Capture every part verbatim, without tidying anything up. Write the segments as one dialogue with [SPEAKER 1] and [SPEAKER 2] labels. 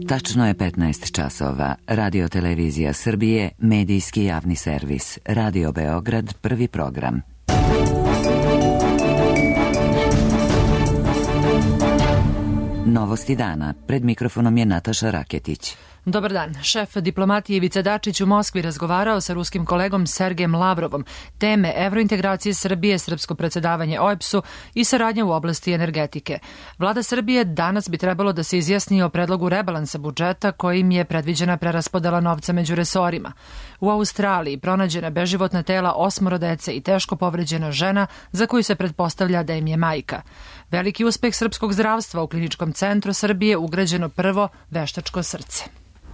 [SPEAKER 1] Tačno je petnaest časova. Radio Televizija Srbije, medijski javni servis. Radio Beograd, prvi program. Novosti dana. Pred mikrofonom je Nataša Raketić.
[SPEAKER 2] Dobar dan. Šef diplomatije Ivica Dačić u Moskvi razgovarao sa ruskim kolegom Sergejem Lavrovom. Teme evrointegracije Srbije, srpsko predsedavanje O E B S-u i saradnja u oblasti energetike. Vlada Srbije danas bi trebalo da se izjasni o predlogu rebalansa budžeta kojim je predviđena preraspodela novca među resorima. U Australiji pronađena beživotna tela osmoro dece i teško povređena žena za koju se pretpostavlja da im je majka. Veliki uspeh srpskog zdravstva u Kliničkom centru Srbije ugrađeno prvo veštačko srce.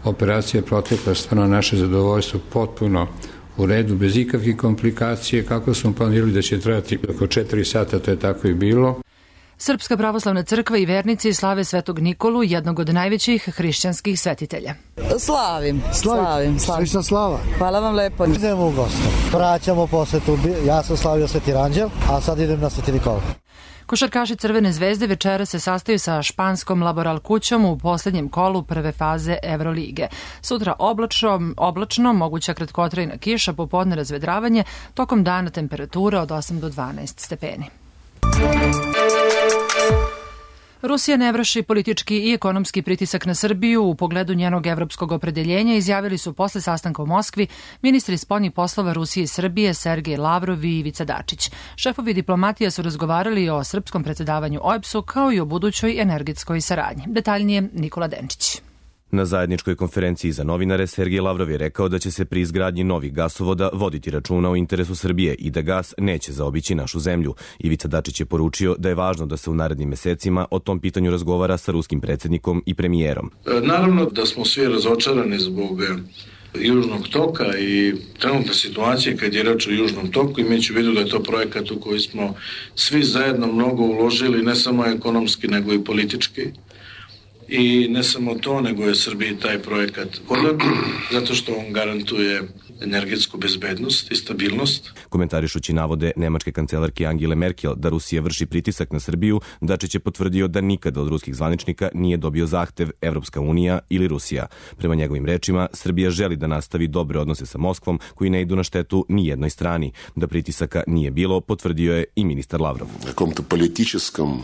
[SPEAKER 3] Operacija je protekla stvarno naše zadovoljstvo potpuno u redu, bez ikakvih komplikacije, kako smo planirali da će trajati oko četiri sata, to je tako i bilo.
[SPEAKER 2] Srpska pravoslavna crkva i vernici slave Svetog Nikolu, jednog od najvećih hrišćanskih svetitelja.
[SPEAKER 4] Slavim, slavim, slavim.
[SPEAKER 5] Slična slava.
[SPEAKER 4] Hvala vam lepo.
[SPEAKER 5] Idemo u goste. Vraćamo posetu, ja sam slavio Sveti Ranđel, a sad idem na Sveti Nikola.
[SPEAKER 2] Košarkaši Crvene zvezde večera se sastaju sa španskom Laboral kućom u poslednjem kolu prve faze Evrolige. Sutra oblačno, oblačno, moguća kratkotrajna kiša, popodne razvedravanje, tokom dana temperatura od osam do dvanaest stepeni. Rusija ne vrši politički i ekonomski pritisak na Srbiju u pogledu njenog evropskog opredeljenja, izjavili su posle sastanka u Moskvi ministri spoljnih poslova Rusije i Srbije Sergej Lavrov i Ivica Dačić. Šefovi diplomatija su razgovarali o srpskom predsedavanju O E B S-u kao i o budućoj energetskoj saradnji. Detaljnije Nikola Denčić.
[SPEAKER 6] Na zajedničkoj konferenciji za novinare Sergej Lavrov je rekao da će se pri izgradnji novih gasovoda voditi računa o interesu Srbije i da gas neće zaobići našu zemlju. Ivica Dačić je poručio da je važno da se u narednim mesecima o tom pitanju razgovara sa ruskim predsjednikom i premijerom.
[SPEAKER 7] Naravno da smo svi razočarani zbog Južnog toka i trenutne situacije kad je reč o Južnom toku, imajući u vidu da je to projekat u koji smo svi zajedno mnogo uložili, ne samo ekonomski nego i politički. I ne samo to, nego je Srbiji taj projekat podan, zato što on garantuje energetsku bezbednost i stabilnost.
[SPEAKER 6] Komentarišući navode nemačke kancelarke Angele Merkel da Rusija vrši pritisak na Srbiju, Dačić je potvrdio da nikada od ruskih zvaničnika nije dobio zahtev Evropska unija ili Rusija. Prema njegovim rečima, Srbija želi da nastavi dobre odnose sa Moskvom koji ne idu na štetu ni jednoj strani. Da pritisaka nije bilo, potvrdio je i ministar Lavrov.
[SPEAKER 8] Nekom-to političkom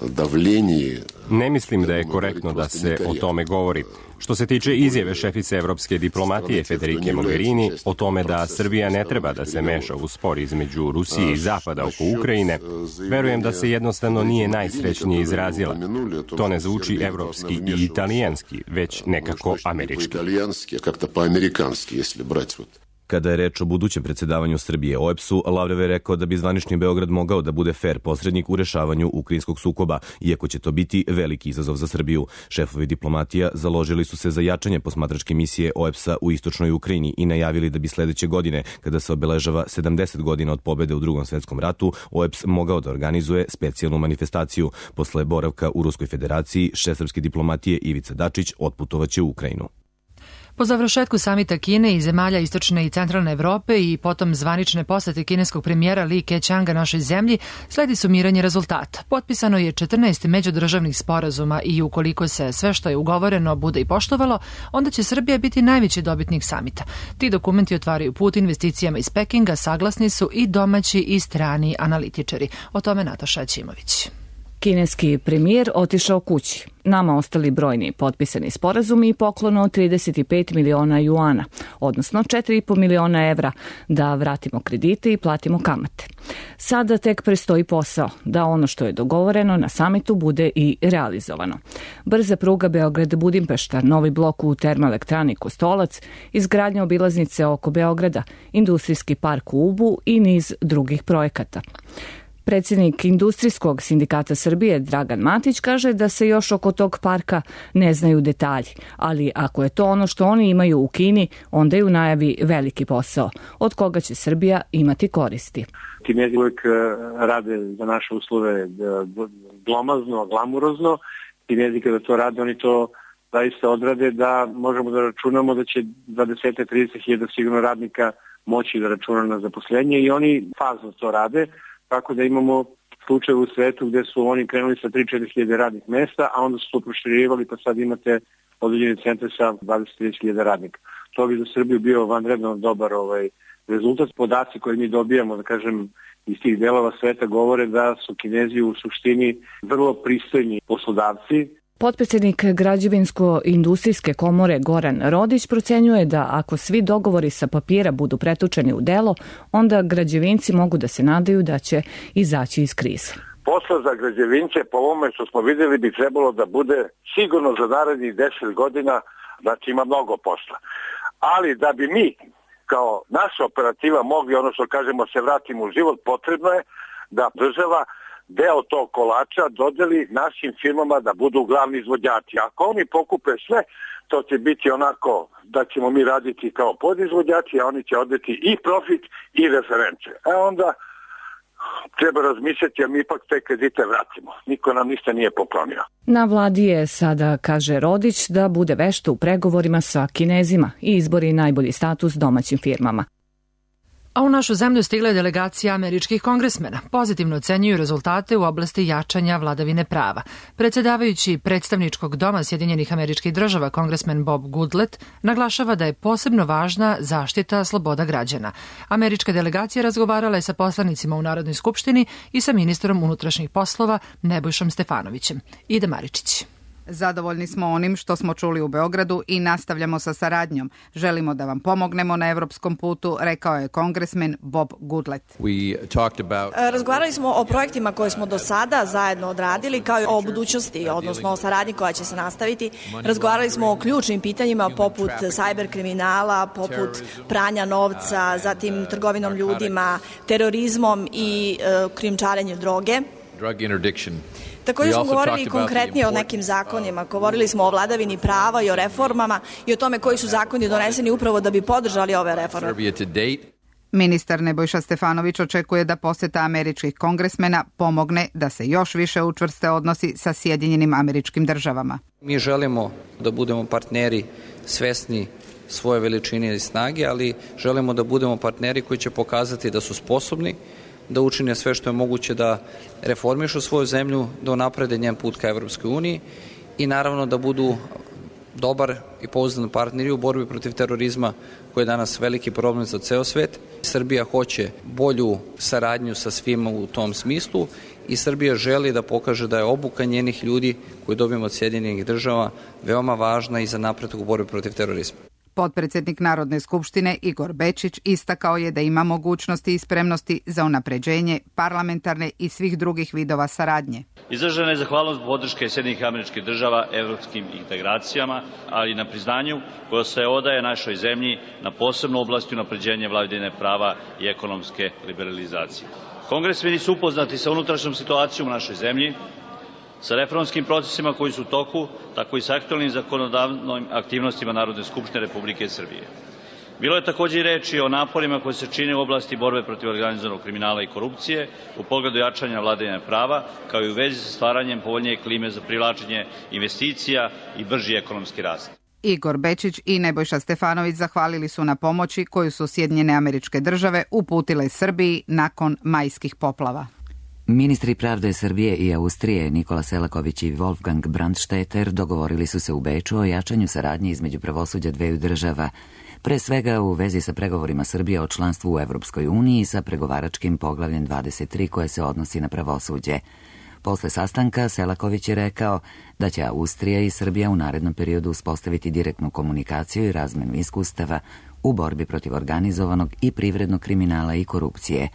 [SPEAKER 8] davljenji.
[SPEAKER 9] Ne mislim da je korektno da se o tome govori. Što se tiče izjave šefice evropske diplomatije Federike Mogherini o tome da Srbija ne treba da se meša u spor između Rusije i Zapada oko Ukrajine, verujem da se jednostavno nije najsrećnije izrazila. To ne zvuči evropski i italijanski, već nekako američki.
[SPEAKER 6] Kada je reč o budućem predsedavanju Srbije O E B S-u, Lavrov je rekao da bi zvanični Beograd mogao da bude fer posrednik u rešavanju ukrajinskog sukoba, iako će to biti veliki izazov za Srbiju. Šefovi diplomatija založili su se za jačanje posmatračke misije O E B S-a u istočnoj Ukrajini i najavili da bi sledeće godine, kada se obeležava sedamdeset godina od pobede u Drugom svetskom ratu, O E B S mogao da organizuje specijalnu manifestaciju. Posle boravka u Ruskoj federaciji, šef srpske diplomatije Ivica Dačić otputovaće u Ukrajinu.
[SPEAKER 2] Po završetku samita Kine i zemalja istočne i centralne Evrope i potom zvanične posete kineskog premijera Li Keqianga našoj zemlji, sledi sumiranje rezultata. Potpisano je četrnaest međudržavnih sporazuma i ukoliko se sve što je ugovoreno bude i poštovalo, onda će Srbija biti najveći dobitnik samita. Ti dokumenti otvaraju put investicijama iz Pekinga, saglasni su i domaći i strani analitičari. O tome Nataša Ćimović.
[SPEAKER 10] Kineski premijer otišao kući. Nama ostali brojni potpisani sporazumi i poklon od trideset pet miliona juana, odnosno četiri i po miliona evra, da vratimo kredite i platimo kamate. Sada tek prestoji posao, da ono što je dogovoreno na samitu bude i realizovano. Brza pruga Beograd-Budimpešta, novi blok u termoelektrani Kostolac, izgradnja obilaznice oko Beograda, industrijski park u Ubu i niz drugih projekata. Predsjednik Industrijskog sindikata Srbije Dragan Matić kaže da se još oko tog parka ne znaju detalji, ali ako je to ono što oni imaju u Kini, onda je u najavi veliki posao, od koga će Srbija imati koristi.
[SPEAKER 11] Kinezi uvijek rade za naše uslove glomazno, glamurozno. Kinezi kada to rade, oni to zaista odrade da možemo da računamo da će dvadeset do trideset hiljada sigurno radnika moći da računa na zaposlenje i oni fazno to rade. Tako da imamo slučajeva u svetu gde su oni krenuli sa tri do četiri hiljade radnih mesta, a onda su to proširivali pa sad imate određene centre sa dvadeset do trideset hiljada radnika. To bi za Srbiju bio vanredno dobar ovaj, rezultat. Podaci koje mi dobijamo, da kažem, iz tih delova sveta govore da su Kinezi u suštini vrlo pristojni poslodavci.
[SPEAKER 10] Potpredsjednik Građevinsko-industrijske komore Goran Rodić procenjuje da ako svi dogovori sa papira budu pretočeni u delo, onda građevinci mogu da se nadaju da će izaći iz krize.
[SPEAKER 12] Posla za građevince, po ovome što smo vidjeli, bi trebalo da bude sigurno za narednih deset godina, znači ima mnogo posla. Ali da bi mi, kao naša operativa, mogli, ono što kažemo, se vratimo u život, potrebno je da država deo tog kolača dodeli našim firmama da budu glavni izvođači. Ako oni pokupe sve, to će biti onako da ćemo mi raditi kao podizvođači, a oni će odeti i profit i reference. A onda treba razmišljati, a mi ipak te kredite vratimo. Niko nam ništa nije poklonio.
[SPEAKER 10] Na vladi je sada, kaže Rodić, da bude vešta u pregovorima sa Kinezima i izbori najbolji status domaćim firmama.
[SPEAKER 2] A u našu zemlju stigla je delegacija američkih kongresmena. Pozitivno ocenjuju rezultate u oblasti jačanja vladavine prava. Predsjedavajući predstavničkog doma Sjedinjenih Američkih Država, kongresmen Bob Goodlatte, naglašava da je posebno važna zaštita sloboda građana. Američka delegacija razgovarala je sa poslanicima u Narodnoj skupštini i sa ministrom unutrašnjih poslova Nebojšom Stefanovićem. Ida Maričić.
[SPEAKER 13] Zadovoljni smo onim što smo čuli u Beogradu i nastavljamo sa saradnjom. Želimo da vam pomognemo na evropskom putu, rekao je kongresmen Bob Goodlatte.
[SPEAKER 14] About... Razgovarali smo o projektima koje smo do sada zajedno odradili, kao i o budućnosti, odnosno o saradnji koja će se nastaviti. Razgovarali smo o ključnim pitanjima poput sajber kriminala, poput pranja novca, zatim trgovinom ljudima, terorizmom i uh, krijumčarenjem droge.
[SPEAKER 15] Drug interdiction.
[SPEAKER 14] Također smo govorili konkretnije o nekim zakonima. Govorili smo o vladavini prava i o reformama i o tome koji su zakoni doneseni upravo da bi podržali ove reforme.
[SPEAKER 13] Ministar Nebojša Stefanović očekuje da poseta američkih kongresmena pomogne da se još više učvrste odnosi sa Sjedinjenim Američkim Državama.
[SPEAKER 16] Mi želimo da budemo partneri svesni svoje veličine i snage, ali želimo da budemo partneri koji će pokazati da su sposobni da učine sve što je moguće da reformišu svoju zemlju, da unaprede njen put ka Evropskoj uniji i naravno da budu dobar i pouzdan partneri u borbi protiv terorizma koji je danas veliki problem za ceo svet. Srbija hoće bolju saradnju sa svima u tom smislu i Srbija želi da pokaže da je obuka njenih ljudi koju dobijemo od Sjedinjenih Država veoma važna i za napredak u borbi protiv terorizma.
[SPEAKER 13] Potpredsjednik Narodne skupštine Igor Bečić istakao je da ima mogućnosti i spremnosti za unapređenje parlamentarne i svih drugih vidova saradnje.
[SPEAKER 17] Izražena je zahvalnost podrške Sjedinjenih Američkih Država evropskim integracijama, ali i na priznanju koje se odaje našoj zemlji na posebnu oblasti unapređenja vladavine prava i ekonomske liberalizacije. Kongresmeni su upoznati sa unutrašnjom situacijom u našoj zemlji, sa reformskim procesima koji su u toku, tako i sa aktualnim zakonodavnim aktivnostima Narodne skupštine Republike Srbije. Bilo je također i reči o naporima koji se čine u oblasti borbe protiv organizovanog kriminala i korupcije, u pogledu jačanja vladavine prava, kao i u vezi sa stvaranjem povoljnije klime za privlačenje investicija i brži ekonomski rast.
[SPEAKER 13] Igor Bečić i Nebojša Stefanović zahvalili su na pomoći koju su Sjedinjene Američke Države uputile Srbiji nakon majskih poplava.
[SPEAKER 1] Ministri pravde Srbije i Austrije Nikola Selaković i Wolfgang Brandstetter dogovorili su se u Beču o jačanju saradnje između pravosuđa dveju država, pre svega u vezi sa pregovorima Srbije o članstvu u Evropskoj uniji sa pregovaračkim poglavljem dvadeset tri koje se odnosi na pravosuđe. Posle sastanka Selaković je rekao da će Austrija i Srbija u narednom periodu uspostaviti direktnu komunikaciju i razmenu iskustava u borbi protiv organizovanog i privrednog kriminala i korupcije.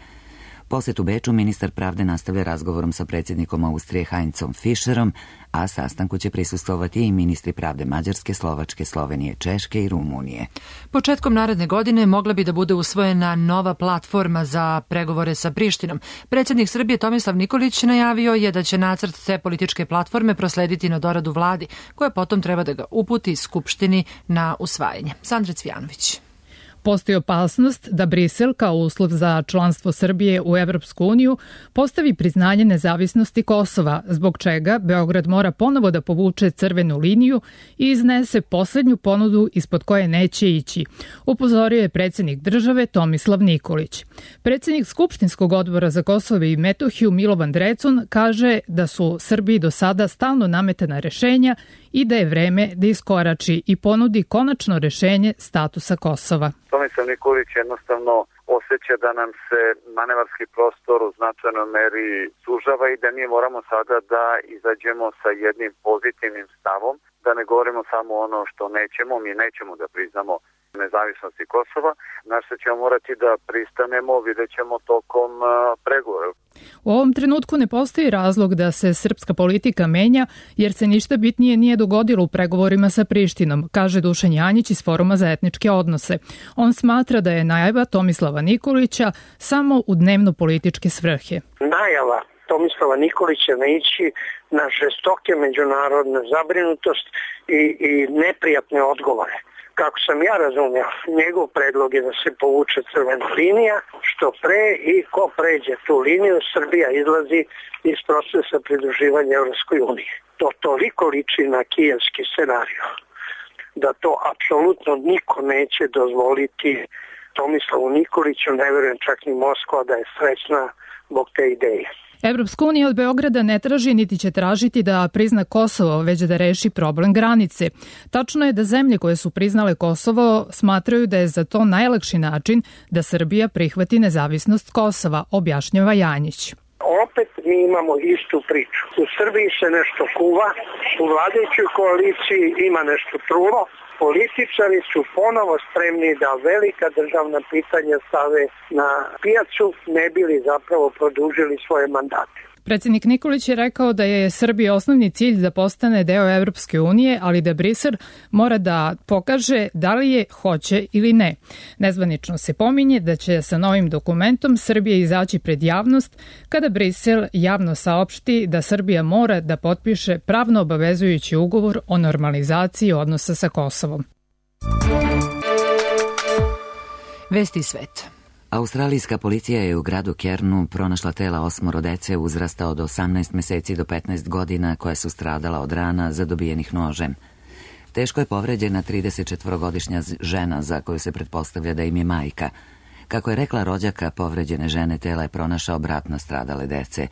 [SPEAKER 1] Posjet u Beču ministar pravde nastavlja razgovorom sa predsjednikom Austrije Heinzom Fischerom, a sastanku će prisustvovati i ministri pravde Mađarske, Slovačke, Slovenije, Češke i Rumunije.
[SPEAKER 2] Početkom naredne godine mogla bi da bude usvojena nova platforma za pregovore sa Prištinom. Predsjednik Srbije Tomislav Nikolić najavio je da će nacrt te političke platforme proslediti na doradu vladi, koja potom treba da ga uputi Skupštini na usvajanje. Sandra Cvijanović.
[SPEAKER 15] Postoji opasnost da Brisel kao uslov za članstvo Srbije u Evropsku uniju postavi priznanje nezavisnosti Kosova, zbog čega Beograd mora ponovo da povuče crvenu liniju i iznese poslednju ponudu ispod koje neće ići, upozorio je predsjednik države Tomislav Nikolić. Predsjednik Skupštinskog odbora za Kosovo i Metohiju Milovan Drecun kaže da su Srbiji do sada stalno nametana rešenja i da je vreme da iskorači i ponudi konačno rešenje statusa Kosova.
[SPEAKER 18] Tomislav Nikolić jednostavno osjeća da nam se manevarski prostor u značajnoj meri sužava i da mi moramo sada da izađemo sa jednim pozitivnim stavom, da ne govorimo samo ono što nećemo, mi nećemo da priznamo nezavisnosti Kosova, na što ćemo morati da pristanemo, vidjet ćemo tokom uh, pregovora.
[SPEAKER 15] U ovom trenutku ne postoji razlog da se srpska politika menja, jer se ništa bitnije nije dogodilo u pregovorima sa Prištinom, kaže Dušan Janjić iz Foruma za etničke odnose. On smatra da je najava Tomislava Nikolića samo u dnevno-političke svrhe.
[SPEAKER 19] Najava Tomislava Nikolića na ići na žestoke međunarodne zabrinutost i, i neprijatne odgovore. Kako sam ja razumio, njegov predlog je da se povuče crvena linija, što pre i ko pređe tu liniju, Srbija izlazi iz procesa pridruživanja Evropskoj uniji. To toliko liči na kijevski scenarij, da to apsolutno niko neće dozvoliti Tomislavu Nikoliću, ne verujem čak ni Moskva da je srećna zbog te ideje.
[SPEAKER 15] Evropska unija od Beograda ne traži niti će tražiti da prizna Kosovo, već da reši problem granice. Tačno je da zemlje koje su priznale Kosovo smatraju da je za to najlakši način da Srbija prihvati nezavisnost Kosova, objašnjava Janjić.
[SPEAKER 19] Opet mi imamo istu priču. U Srbiji se nešto kuva, u vladajućoj koaliciji ima nešto trulo. Političari su ponovo spremni da velika državna pitanja stave na pijacu, ne bili zapravo produžili svoje mandate.
[SPEAKER 15] Predsjednik Nikolić je rekao da je Srbiji osnovni cilj da postane deo Evropske unije, ali da Brisel mora da pokaže da li je hoće ili ne. Nezvanično se pominje da će sa novim dokumentom Srbija izaći pred javnost kada Brisel javno saopšti da Srbija mora da potpiše pravno obavezujući ugovor o normalizaciji odnosa sa Kosovom.
[SPEAKER 2] Vesti sveta.
[SPEAKER 1] Australijska policija je u gradu Kernu pronašla tela osmoro dece uzrasta od osamnaest meseci do petnaest godina koja su stradala od rana zadobijenih nožem. Teško je povređena tridesetčetvorogodišnja žena za koju se pretpostavlja da im je majka. Kako je rekla rođaka povređene žene, tela je pronašao brat nastradale dece.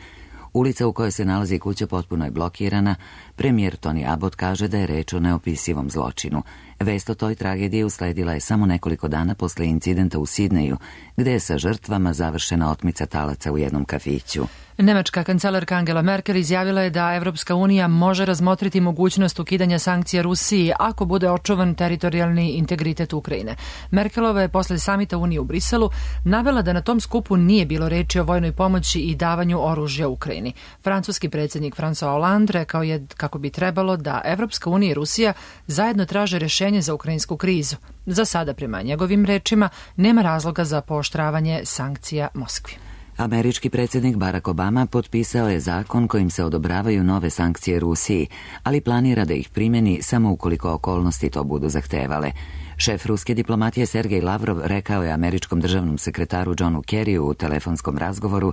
[SPEAKER 1] Ulica u kojoj se nalazi kuća potpuno je blokirana. Premijer Tony Abbott kaže da je reč o neopisivom zločinu. Vest o toj tragediji usledila je samo nekoliko dana posle incidenta u Sidneju, gde je sa žrtvama završena otmica talaca u jednom kafiću.
[SPEAKER 2] Nemačka kancelarka Angela Merkel izjavila je da Evropska unija može razmotriti mogućnost ukidanja sankcija Rusiji ako bude očuvan teritorijalni integritet Ukrajine. Merkelova je posle samita Unije u Briselu navela da na tom skupu nije bilo reči o vojnoj pomoći i davanju oružja Ukrajini. Francuski predsjednik François Hollande rekao je kako bi trebalo da Evropska unija i Rusija zajedno traže rešenje za ukrajinsku krizu. Za sada, prema njegovim rečima, nema razloga za pooštravanje sankcija Moskvi.
[SPEAKER 1] Američki predsjednik Barack Obama potpisao je zakon kojim se odobravaju nove sankcije Rusiji, ali planira da ih primjeni samo ukoliko okolnosti to budu zahtevale. Šef ruske diplomatije Sergej Lavrov rekao je američkom državnom sekretaru Johnu Kerryu u telefonskom razgovoru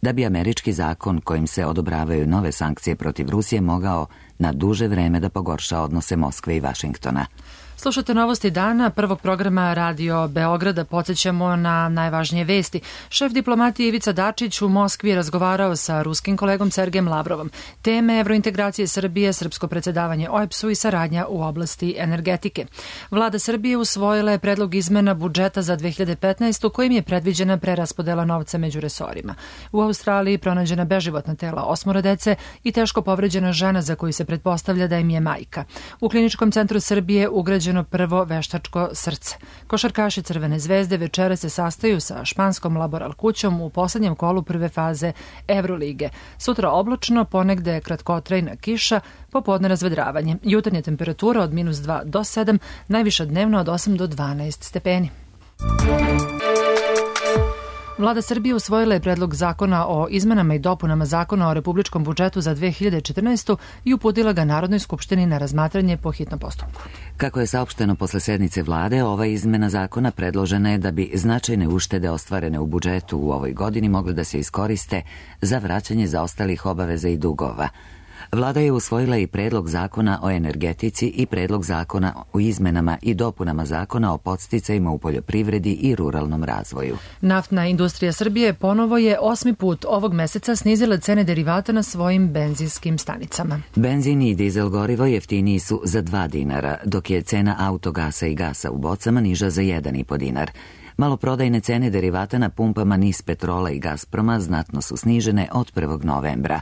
[SPEAKER 1] da bi američki zakon kojim se odobravaju nove sankcije protiv Rusije mogao na duže vreme da pogorša odnose Moskve i Vašingtona.
[SPEAKER 2] Slušate novosti dana prvog programa Radio Beograda. Podsjećamo na najvažnije vesti. Šef diplomatije Ivica Dačić u Moskvi je razgovarao sa ruskim kolegom Sergejem Lavrovom. Teme evrointegracije Srbije, srpsko predsjedavanje O E B S-u i saradnja u oblasti energetike. Vlada Srbije usvojila je predlog izmena budžeta za dve hiljade petnaestu kojim je predviđena preraspodela novca među resorima. U Australiji pronađena beživotna tela osmoro dece i teško povređena žena za koju se pretpostavlja da im je majka. U Kliničkom centru Srbije ugrađeno prvo veštačko srce. Košarkaši Crvene zvezde večera se sastaju sa španskom Laboral kućom u poslednjem kolu prve faze Evrolige. Sutra oblačno, ponegde kratkotrajna kiša, popodne razvedravanje. Jutarnja temperatura od minus dva do sedam, najviša dnevno od osam do dvanaest stepeni. Vlada Srbije usvojila je predlog zakona o izmenama i dopunama zakona o republičkom budžetu za dve hiljade četrnaestu. i uputila ga Narodnoj skupštini na razmatranje po hitnom postupku.
[SPEAKER 1] Kako je saopšteno posle sednice vlade, ova izmena zakona predložena je da bi značajne uštede ostvarene u budžetu u ovoj godini mogle da se iskoriste za vraćanje zaostalih obaveza i dugova. Vlada je usvojila i predlog zakona o energetici i predlog zakona o izmenama i dopunama zakona o podsticajima u poljoprivredi i ruralnom razvoju.
[SPEAKER 2] Naftna industrija Srbije ponovo je osmi put ovog meseca snizila cene derivata na svojim benzinskim stanicama.
[SPEAKER 1] Benzin i dizel gorivo jeftiniji su za dva dinara, dok je cena autogasa i gasa u bocama niža za jedan i po dinar. Maloprodajne cene derivata na pumpama NIS Petrola i Gazproma znatno su snižene od prvog novembra.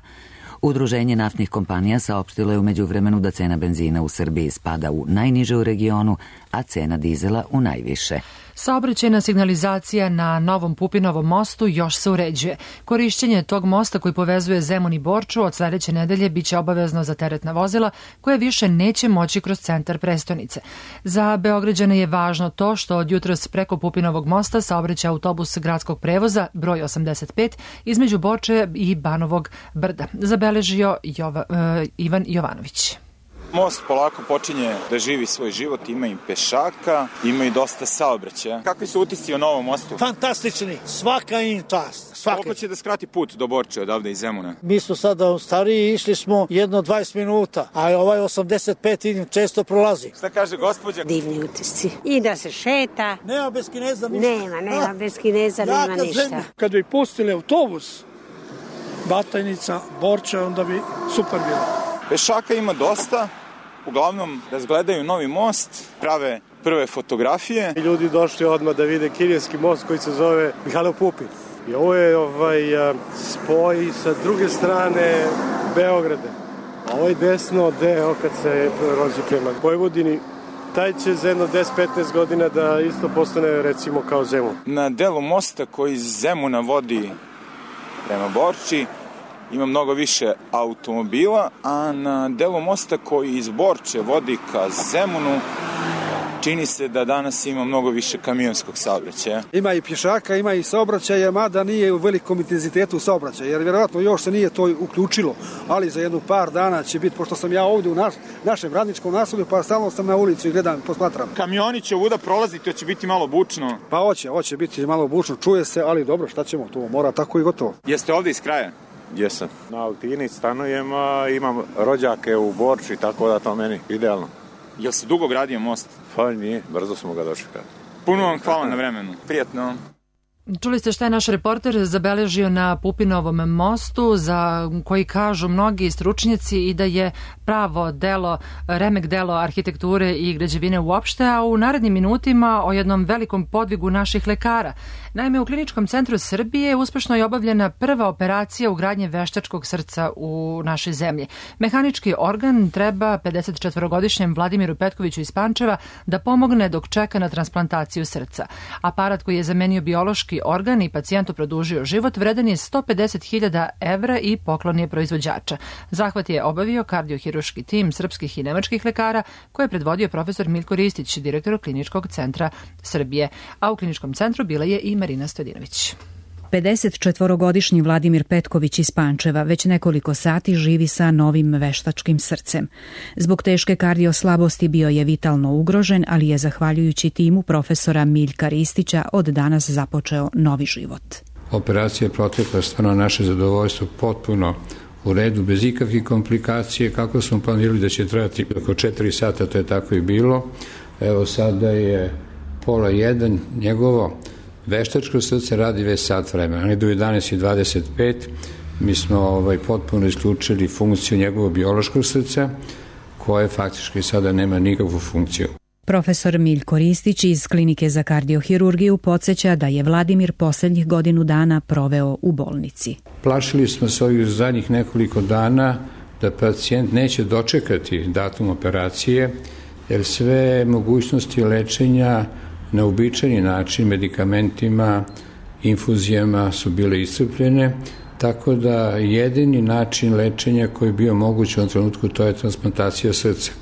[SPEAKER 1] Udruženje naftnih kompanija saopštilo je u međuvremenu da cena benzina u Srbiji spada u najniže u regionu, a cena dizela u najviše.
[SPEAKER 2] Saobraćajna signalizacija na Novom Pupinovom mostu još se uređuje. Korišćenje tog mosta koji povezuje Zemun i Borču od sledeće nedelje biće obavezno za teretna vozila koje više neće moći kroz centar prestonice. Za Beograđane je važno to što od jutros preko Pupinovog mosta saobraća autobus gradskog prevoza broj osamdeset pet između Borče i Banovog Brda. Zabeležio Jova, uh, Ivan Jovanović.
[SPEAKER 20] Most polako počinje da živi svoj život, ima i pešaka, ima i dosta saobraćaja. Kakvi su utisci o novom mostu?
[SPEAKER 21] Fantastični, svaka im čast. Svaka.
[SPEAKER 20] Koliko će da skrati put do Borče odavde iz Zemuna?
[SPEAKER 21] Mi smo sada stariji, išli smo jedno dvadeset minuta, a ovaj osamdeset pet vidim često prolazi.
[SPEAKER 20] Šta kaže gospođa?
[SPEAKER 22] Divni utisci. I da se šeta.
[SPEAKER 21] Nema bez Kineza ništa.
[SPEAKER 22] Nema, nema bez Kineza, nema ništa. Zemlja.
[SPEAKER 21] Kad bi pustili autobus, Batajnica, Borča, onda bi super bilo.
[SPEAKER 20] Pešaka ima dosta, uglavnom razgledaju novi most, prave prve fotografije.
[SPEAKER 21] Ljudi došli odmah da vide kineski most koji se zove Mihajlo Pupin. I ovo je ovaj, spoj sa druge strane Beograda. A ovaj desno deo kad se prelazi prema Vojvodini, taj će za jedno deset do petnaest godina da isto postane recimo kao Zemun.
[SPEAKER 20] Na delu mosta koji iz Zemuna vodi prema Borči ima mnogo više automobila, a na delu mosta koji iz Borče vodi ka Zemunu čini se da danas ima mnogo više kamionskog saobraćaja.
[SPEAKER 21] Ima i pješaka, ima i saobraćaja, mada nije u velikom intenzitetu saobraćaja, jer vjerovatno još se nije to uključilo, ali za jednu par dana će biti, pošto sam ja ovdje u naš, našem radničkom naselju, pa stalno sam na ulicu i gledam, posmatram.
[SPEAKER 20] Kamioni će ovuda prolaziti, to će biti malo bučno.
[SPEAKER 21] Pa hoće, hoće biti malo bučno, čuje se, ali dobro, šta ćemo, to mora tako i gotovo.
[SPEAKER 20] Jeste ovdje iz kraja?
[SPEAKER 23] Jesam. Na Altini stanujem, a imam rođake u Borči, tako da to meni idealno.
[SPEAKER 20] Jel se dugo gradio most?
[SPEAKER 23] Pa nije, brzo smo ga dočekali.
[SPEAKER 20] Puno vam hvala na vremenu. Prijatno.
[SPEAKER 2] Čuli ste šta je naš reporter zabeležio na Pupinovom mostu, za koji kažu mnogi stručnjaci i da je pravo delo, remek delo arhitekture i građevine uopšte, a u narednim minutima o jednom velikom podvigu naših lekara. Naime, u Kliničkom centru Srbije uspešno je obavljena prva operacija ugradnje veštačkog srca u našoj zemlji. Mehanički organ treba pedesetčetvorogodišnjem Vladimiru Petkoviću iz Pančeva da pomogne dok čeka na transplantaciju srca. Aparat koji je zamenio biološki organ i pacijentu produžio život vredan je sto pedeset hiljada evra i poklon je proizvođača. Zahvat je obavio kardiohiruški tim srpskih i nemačkih lekara koje je predvodio profesor Miljko Ristić, direktor Kliničkog centra Srbije. A u Kliničkom centru bila je i Marina Stojadinović.
[SPEAKER 24] pedesetčetvorogodišnji Vladimir Petković iz Pančeva već nekoliko sati živi sa novim veštačkim srcem. Zbog teške kardioslabosti bio je vitalno ugrožen, ali je zahvaljujući timu profesora Miljka Ristića od danas započeo novi život.
[SPEAKER 3] Operacija je protekla stvarno naše zadovoljstvo potpuno u redu, bez ikakvih komplikacije, kako smo planirali da će trajati oko četiri sata, to je tako i bilo. Evo sada je pola jedan, njegovo veštačko srce radi već sat vremena, ali do jedanaest i dvadeset pet mi smo ovaj, potpuno isključili funkciju njegovog biološkog srca, koje faktički sada nema nikakvu funkciju.
[SPEAKER 24] Profesor Miljko Ristić iz Klinike za kardiohirurgiju podsjeća da je Vladimir poslednjih godinu dana proveo u bolnici.
[SPEAKER 3] Plašili smo se ovih zadnjih nekoliko dana da pacijent neće dočekati datum operacije, jer sve mogućnosti lečenja na uobičajeni način, medikamentima, infuzijama su bile iscrpljene, tako da jedini način lečenja koji je bio moguć u ovom trenutku to je transplantacija srca.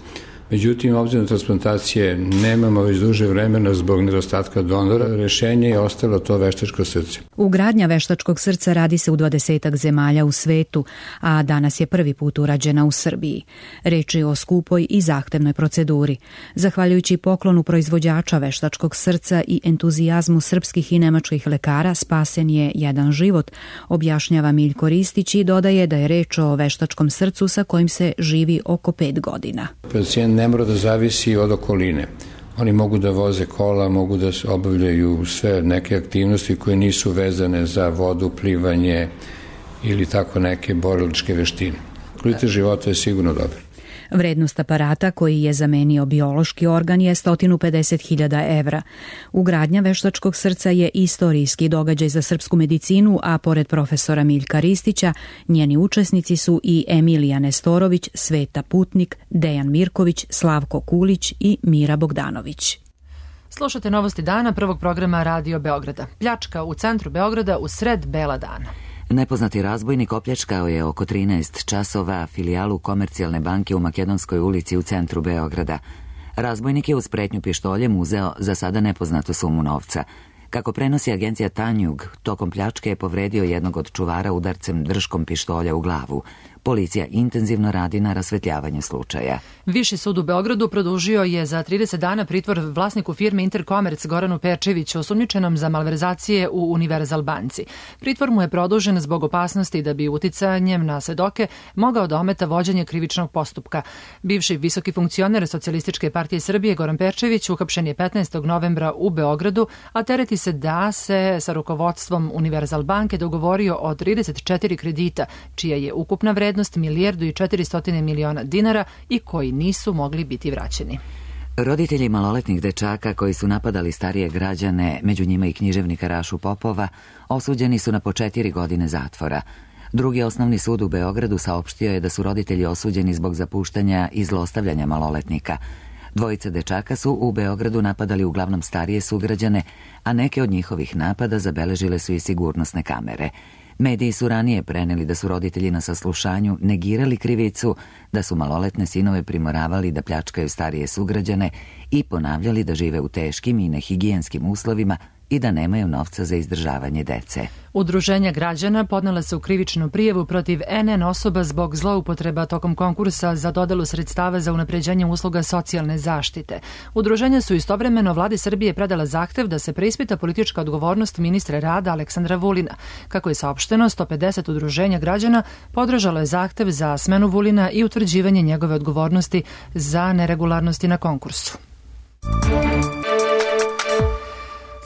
[SPEAKER 3] Međutim, obzirom na transplantacije nemamo već duže vremena zbog nedostatka donora, rešenje je ostalo to veštačko srce.
[SPEAKER 24] Ugradnja veštačkog srca radi se u dvadesetak zemalja u svetu, a danas je prvi put urađena u Srbiji. Reč je o skupoj i zahtevnoj proceduri. Zahvaljujući poklonu proizvođača veštačkog srca i entuzijazmu srpskih i nemačkih lekara spasen je jedan život, objašnjava Miljko Ristić i dodaje da je reč o veštačkom srcu sa kojim se živi oko pet godina.
[SPEAKER 3] Pacijent ne mora da zavisi od okoline. Oni mogu da voze kola, mogu da obavljaju sve neke aktivnosti koje nisu vezane za vodu, plivanje ili tako neke borilačke veštine. Kvalitet života je sigurno dobar.
[SPEAKER 24] Vrednost aparata koji je zamenio biološki organ je sto pedeset hiljada evra. Ugradnja veštačkog srca je istorijski događaj za srpsku medicinu, a pored profesora Miljka Ristića, njeni učesnici su i Emilija Nestorović, Sveta Putnik, Dejan Mirković, Slavko Kulić i Mira Bogdanović.
[SPEAKER 2] Slušate novosti dana prvog programa Radio Beograda. Pljačka u centru Beograda u sred bela dana.
[SPEAKER 1] Nepoznati razbojnik opljačkao je oko trinaest časova filijalu Komercijalne banke u Makedonskoj ulici u centru Beograda. Razbojnik je uz pretnju pištoljem uzeo za sada nepoznatu sumu novca. Kako prenosi agencija Tanjug, tokom pljačke je povredio jednog od čuvara udarcem držkom pištolja u glavu. Policija intenzivno radi na rasvetljavanju slučaja.
[SPEAKER 2] Viši sud u Beogradu produžio je za trideset dana pritvor vlasniku firme Interkomerc Goranu Pečeviću, osumnjičenom za malverzacije u Univerzal banci. Pritvor mu je produžen zbog opasnosti da bi uticanjem na svedoke mogao da ometa vođenje krivičnog postupka. Bivši visoki funkcioner Socijalističke partije Srbije Goran Pečević uhapšen je petnaestog novembra u Beogradu, a tereti se da se sa rukovodstvom Univerzal banke dogovorio o trideset četiri kredita, čija je ukupna vrednost milijardu i četiristo miliona dinara i koji nisu mogli biti vraćeni.
[SPEAKER 1] Roditelji maloletnih dečaka koji su napadali starije građane, među njima i književnika Rašu Popova, osuđeni su na po četiri godine zatvora. Drugi osnovni sud u Beogradu saopštio je da su roditelji osuđeni zbog zapuštanja i zlostavljanja maloletnika. Dvojica dečaka su u Beogradu napadali uglavnom starije sugrađane, a neke od njihovih napada zabeležile su i sigurnosne kamere. Mediji su ranije preneli da su roditelji na saslušanju negirali krivicu, da su maloletne sinove primoravali da pljačkaju starije sugrađane i ponavljali da žive u teškim i nehigijenskim uslovima i da nemaju novca za izdržavanje dece.
[SPEAKER 2] Udruženja građana podnela su krivičnu prijavu protiv en en osoba zbog zloupotreba tokom konkursa za dodelu sredstava za unapređenje usluga socijalne zaštite. Udruženja su istovremeno vladi Srbije predala zahtev da se preispita politička odgovornost ministra rada Aleksandra Vulina. Kako je saopšteno, sto pedeset udruženja građana podržalo je zahtev za smenu Vulina i utvrđivanje njegove odgovornosti za neregularnosti na konkursu.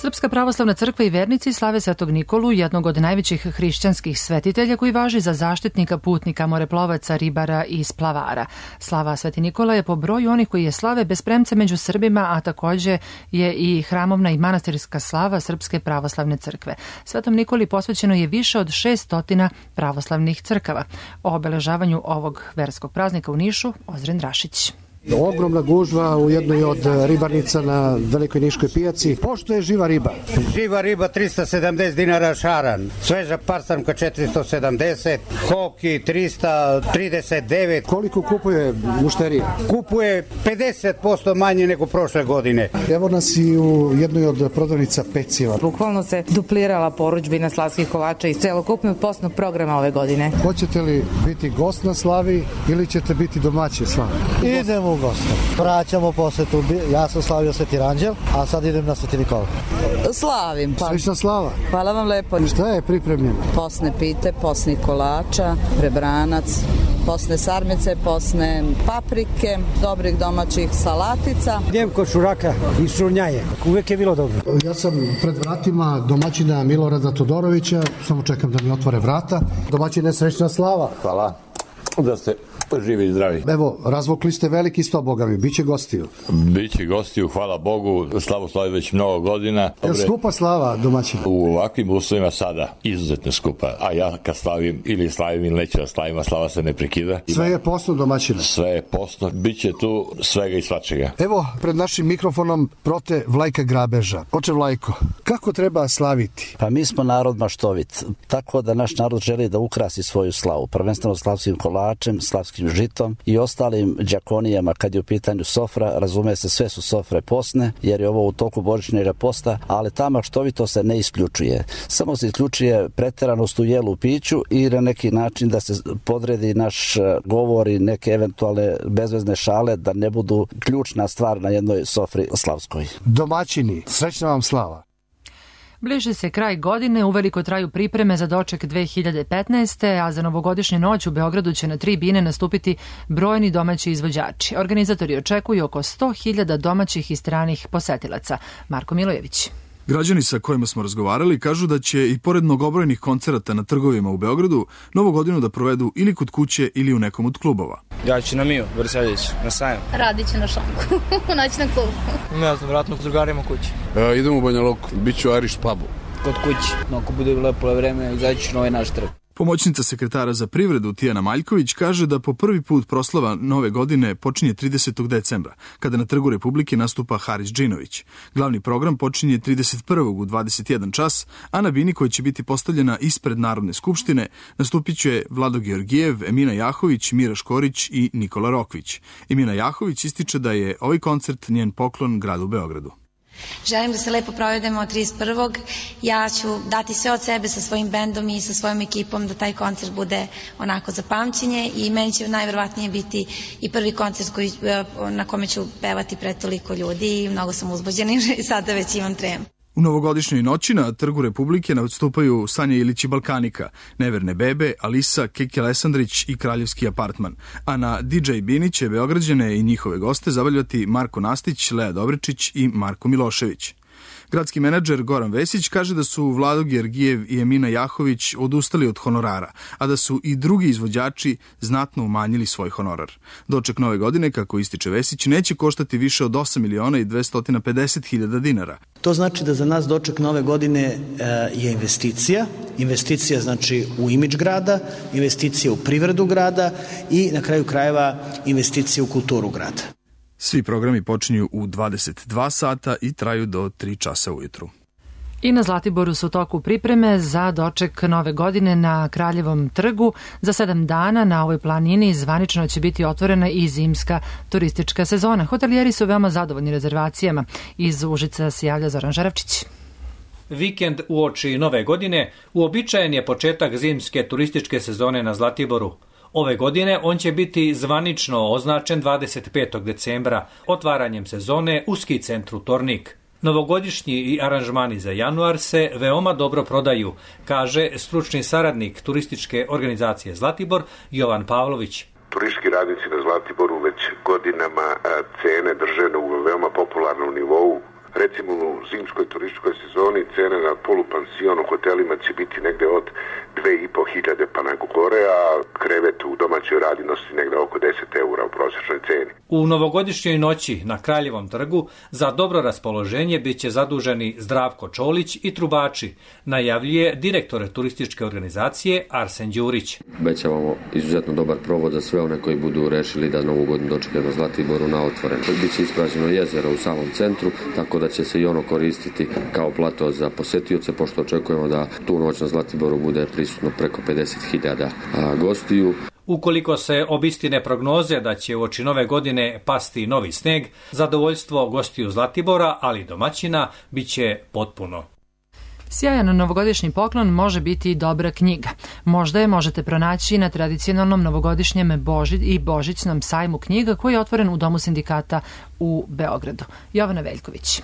[SPEAKER 2] Srpska pravoslavna crkva i vernici slave Svetog Nikolu, jednog od najvećih hrišćanskih svetitelja koji važi za zaštitnika putnika, moreplovaca, ribara i splavara. Slava Sveti Nikola je po broju onih koji je slave bez premca među Srbima, a takođe je i hramovna i manastirska slava Srpske pravoslavne crkve. Svetom Nikoli posvećeno je više od šeststotina pravoslavnih crkava. O obeležavanju ovog verskog praznika u Nišu, Ozren Rašić.
[SPEAKER 4] Ogromna gužva u jednoj od ribarnica na Velikoj Niškoj pijaci. Pošto je živa riba?
[SPEAKER 5] Živa riba tristo sedamdeset dinara šaran, sveža parsamka četiristo sedamdeset, koki trista trideset devet.
[SPEAKER 4] Koliko kupuje mušterija?
[SPEAKER 5] Kupuje pedeset posto manje nego prošle godine.
[SPEAKER 4] Evo nas i u jednoj od prodavnica peciva.
[SPEAKER 7] Bukvalno se duplirala porudžbina slavskih kolača iz celokupnog postnog programa ove godine.
[SPEAKER 4] Hoćete li biti gost na slavi ili ćete biti domaći slavi?
[SPEAKER 8] Idemo u goste. Vraćamo posetu. Ja sam slavio Sveti Ranđel, a sad idem na Sveti Nikola.
[SPEAKER 7] Slavim. Pa.
[SPEAKER 4] Slična slava.
[SPEAKER 7] Hvala vam lepo.
[SPEAKER 4] Šta je pripremljeno?
[SPEAKER 7] Posne pite, posni kolača, prebranac, posne sarmice, posne paprike, dobrih domaćih salatica.
[SPEAKER 8] Idem kod šuraka i šurnjaje. Uvijek je bilo dobro.
[SPEAKER 4] Ja sam pred vratima domaćina Milorada Todorovića, samo čekam da mi otvore vrata. Domaćine, srećna slava.
[SPEAKER 25] Hvala. Da ste živi i zdravi.
[SPEAKER 4] Evo, razvukli ste veliki sto, boga mi, biće gostiju.
[SPEAKER 25] Biće gostiju, hvala Bogu, slavu slavi već mnogo godina.
[SPEAKER 4] Je skupa slava domaćina?
[SPEAKER 25] U ovakvim uslovima sada izuzetno skupa, a ja kad slavim ili slavim ili neću da slavim, a slava se ne prekida.
[SPEAKER 4] Sve je postno domaćina?
[SPEAKER 25] Sve je postno, biće tu svega i svačega.
[SPEAKER 4] Evo, pred našim mikrofonom prote Vlajka Grabeža. Oče Vlajko, kako treba slaviti?
[SPEAKER 8] Pa mi smo narod maštovit, tako da naš narod želi da ukrasi svoju slavu, prvenstveno slavskim kolacima
[SPEAKER 6] kolačem, slavskim žitom i ostalim đakonijama. Kad je u pitanju sofra, razume se, sve su sofre posne, jer je ovo u toku božićnjega posta, ali ta maštovito se ne isključuje. Samo se isključuje preteranost u jelu, piću i na neki način da se podredi naš govor i neke eventualne bezvezne šale da ne budu ključna stvar na jednoj sofri slavskoj.
[SPEAKER 4] Domaćini, srećna vam slava!
[SPEAKER 2] Bliže se kraj godine, uveliko traju pripreme za doček dve hiljade petnaeste. a za novogodišnju noć u Beogradu će na tri bine nastupiti brojni domaći izvođači. Organizatori očekuju oko sto hiljada domaćih i stranih posetilaca. Marko Milojević.
[SPEAKER 9] Građani sa kojima smo razgovarali kažu da će i pored mnogobrojnih koncerata na trgovima u Beogradu novu godinu da provedu ili kod kuće ili u nekom od klubova.
[SPEAKER 10] Ja ću na Miju, Vrseljić, na sajam.
[SPEAKER 11] Radit ću na šanku, u noćnom klubu.
[SPEAKER 10] Ne znam, vratno s drugarima kući.
[SPEAKER 12] E, idem u Banja Luku, bit ću Irish pubu.
[SPEAKER 10] Kod kući, no, ako bude lepo vreme, izaći ću na ovaj naš trg.
[SPEAKER 9] Pomoćnica sekretara za privredu Tijana Maljković kaže da po prvi put proslava nove godine počinje tridesetog decembra, kada na Trgu Republike nastupa Haris Džinović. Glavni program počinje trideset prvog u dvadeset jedan čas, a na bini koja će biti postavljena ispred Narodne skupštine nastupit će Vlado Georgijev, Emina Jahović, Mira Škorić i Nikola Rokvić. Emina Jahović ističe da je ovaj koncert njen poklon gradu Beogradu.
[SPEAKER 26] Želim da se lepo provedemo trideset prvog Ja ću dati sve od sebe sa svojim bendom i sa svojom ekipom da taj koncert bude onako za pamćenje i meni će najverovatnije biti i prvi koncert koji, na kome ću pevati pred toliko ljudi i mnogo sam uzbuđena i sada već imam tremu.
[SPEAKER 9] U novogodišnjoj noći na Trgu Republike nastupaju Sanja Ilić i Balkanika, Neverne bebe, Alisa, Keke Lesandrić i Kraljevski apartman, a na D J bini će Beograđane i njihove goste zabavljati Marko Nastić, Lea Dobričić i Marko Milošević. Gradski menadžer Goran Vesić kaže da su Vlado Georgijev i Emina Jahović odustali od honorara, a da su i drugi izvođači znatno umanjili svoj honorar. Doček nove godine, kako ističe Vesić, neće koštati više od osam miliona i dvesta pedeset hiljada dinara.
[SPEAKER 27] To znači da za nas doček nove godine je investicija, investicija znači u imidž grada, investicija u privredu grada i na kraju krajeva investicija u kulturu grada.
[SPEAKER 9] Svi programi počinju u dvadeset dva sata i traju do tri časa ujutru.
[SPEAKER 2] I na Zlatiboru su u toku pripreme za doček nove godine na Kraljevom trgu. Za sedam dana na ovoj planini zvanično će biti otvorena i zimska turistička sezona. Hotelijeri su veoma zadovoljni rezervacijama. Iz Užica se javlja Zoran Žarevčić.
[SPEAKER 28] Vikend uoči nove godine uobičajen je početak zimske turističke sezone na Zlatiboru. Ove godine on će biti zvanično označen dvadeset petog decembra otvaranjem sezone u ski centru Tornik. Novogodišnji i aranžmani za januar se veoma dobro prodaju, kaže stručni saradnik turističke organizacije Zlatibor Jovan Pavlović.
[SPEAKER 29] Turistički radnici na Zlatiboru već godinama cene drže na veoma popularnom nivou. Recimo u zimskoj turističkoj sezoni cene na polupansion u hotelima će biti negde od dve i po hiljade pa na gore, a krevet u domaćoj radinosti negde oko deset eura u prosječnoj ceni.
[SPEAKER 28] U novogodišnjoj noći na Kraljevom trgu za dobro raspoloženje bit će zaduženi Zdravko Čolić i trubači, najavljuje direktor turističke organizacije Arsen Đurić.
[SPEAKER 30] Obećavamo izuzetno dobar provod za sve one koji budu rešili da novu godinu dočekaju na Zlatiboru na otvoren. Biće ispražnjeno jezero u samom centru, tako da će se i ono koristiti kao plato za posetioce, pošto očekujemo da tu noć na Zlatiboru bude prisutno preko pedeset hiljada gostiju.
[SPEAKER 28] Ukoliko se obistine prognoze da će uoči nove godine pasti novi sneg, zadovoljstvo gostiju Zlatibora, ali i domaćina, bit će potpuno.
[SPEAKER 2] Sjajan novogodišnji poklon može biti i dobra knjiga. Možda je možete pronaći na tradicionalnom novogodišnjem Boži i božićnom sajmu knjiga koji je otvoren u Domu sindikata u Beogradu. Jovana Veljković.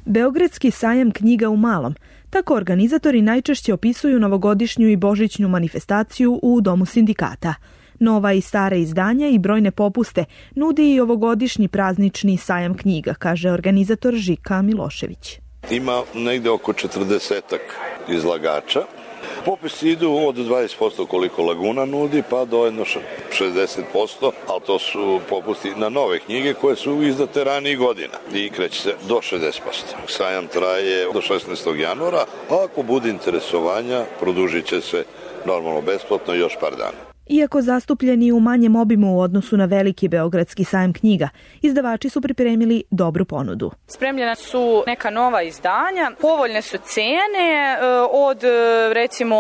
[SPEAKER 31] Beogradski sajam knjiga u Malom. Tako organizatori najčešće opisuju novogodišnju i božićnu manifestaciju u Domu sindikata. Nova i stara izdanja i brojne popuste nudi i ovogodišnji praznični sajam knjiga, kaže organizator Žika Milošević.
[SPEAKER 32] Ima negde oko četrdesetak izlagača. Popisi idu od dvadeset posto koliko Laguna nudi, pa do jedno šezdeset posto, ali to su popusti na nove knjige koje su izdate ranijih godina i kreće se do šezdeset posto. Sajam traje do šesnaestog januara, a ako bude interesovanja, produžit će se normalno besplatno još par dana.
[SPEAKER 31] Iako zastupljeni u manjem obimu u odnosu na veliki Beogradski sajam knjiga, izdavači su pripremili dobru ponudu.
[SPEAKER 3] Spremljena su neka nova izdanja, povoljne su cene od recimo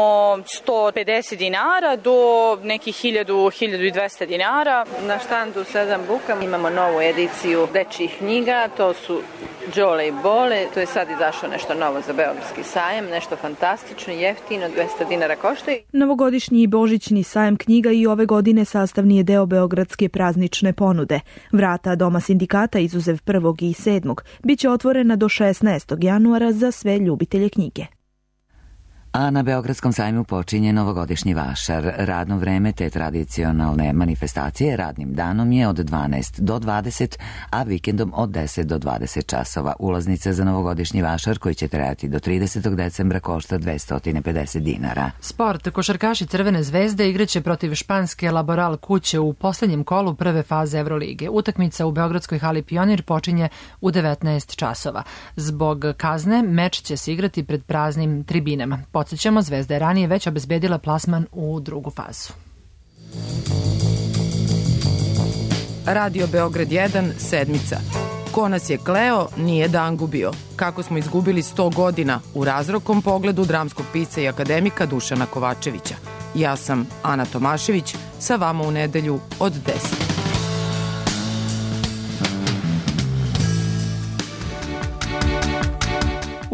[SPEAKER 3] sto pedeset dinara do nekih hiljadu, hiljadu dvesta dinara.
[SPEAKER 13] Na štandu sedam buka imamo novu ediciju dečjih knjiga, to su Đole i Bole, to je sad izašlo nešto novo za Beogradski sajam, nešto fantastično, jeftino, dvesta dinara košta.
[SPEAKER 31] Novogodišnji i božićni sajam knjiga i ove godine sastavni je deo Beogradske praznične ponude. Vrata Doma sindikata izuzev prvog i sedmog biće otvorena do šesnaestog januara za sve ljubitelje knjige.
[SPEAKER 1] A na Beogradskom sajmu počinje novogodišnji vašar. Radno vreme te tradicionalne manifestacije radnim danom je od dvanaest do dvadeset, a vikendom od deset do dvadeset časova. Ulaznice za novogodišnji vašar koji će trajati do tridesetog decembra košta dvesta pedeset dinara.
[SPEAKER 2] Sport. Košarkaši Crvene zvezde igraće protiv španske Laboral kuće u poslednjem kolu prve faze Evrolige. Utakmica u Beogradskoj hali Pionir počinje u devetnaest časova. Zbog kazne meč će se igrati pred praznim tribinama. Podsjećamo, Zvezda je ranije već obezbedila plasman u drugu fazu.
[SPEAKER 14] Radio Beograd jedan, sedmica. Ko nas je kleo, nije dan gubio. Kako smo izgubili sto godina u razrokom pogledu dramskog pisca i akademika Dušana Kovačevića. Ja sam Ana Tomašević, sa vama u nedelju od deset.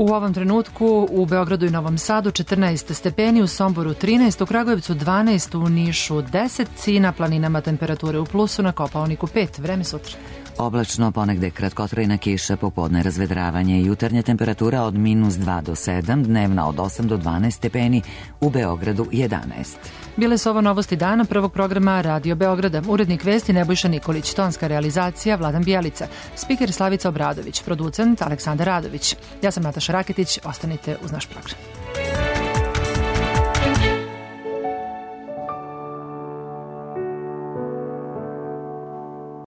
[SPEAKER 2] U ovom trenutku u Beogradu i Novom Sadu četrnaest stepeni, u Somboru trinaest, u Kragujevcu dvanaest, u Nišu deset, i na planinama temperature u plusu, na Kopaoniku pet. Vreme sutra.
[SPEAKER 1] Oblačno, ponegde kratkotrajna kiša, popodne razvedravanje, jutarnja temperatura od minus dva do sedam, dnevna od osam do dvanaest stepeni, u Beogradu jedanaest.
[SPEAKER 2] Bile su ovo novosti dana prvog programa Radio Beograda. Urednik vesti Nebojša Nikolić, tonska realizacija Vladan Bijelica, spiker Slavica Obradović, producent Aleksandar Radović. Ja sam Nataša Raketić, ostanite uz naš program.